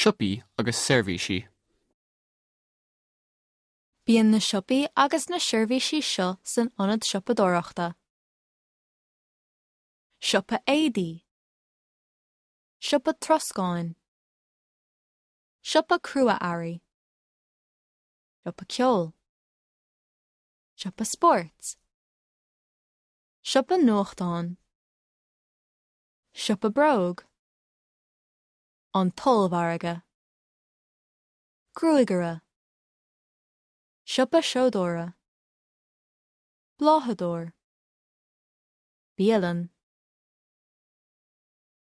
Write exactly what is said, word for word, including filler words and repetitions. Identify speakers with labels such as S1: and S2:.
S1: Siopaí agus seirbhísí.
S2: Bíonn na siopaí agus na seirbhísí seo san ionad siopadóireachta. Siopa éadaí. Siopa troscáin. Siopa crua-earraí. Siopa ceoil. Siopa spóirt. Siopa nuachtán. Siopa bróg. An t-ollmhargadh. Gruagaire. Siopa seodóra. Bláthadóir. Bialann.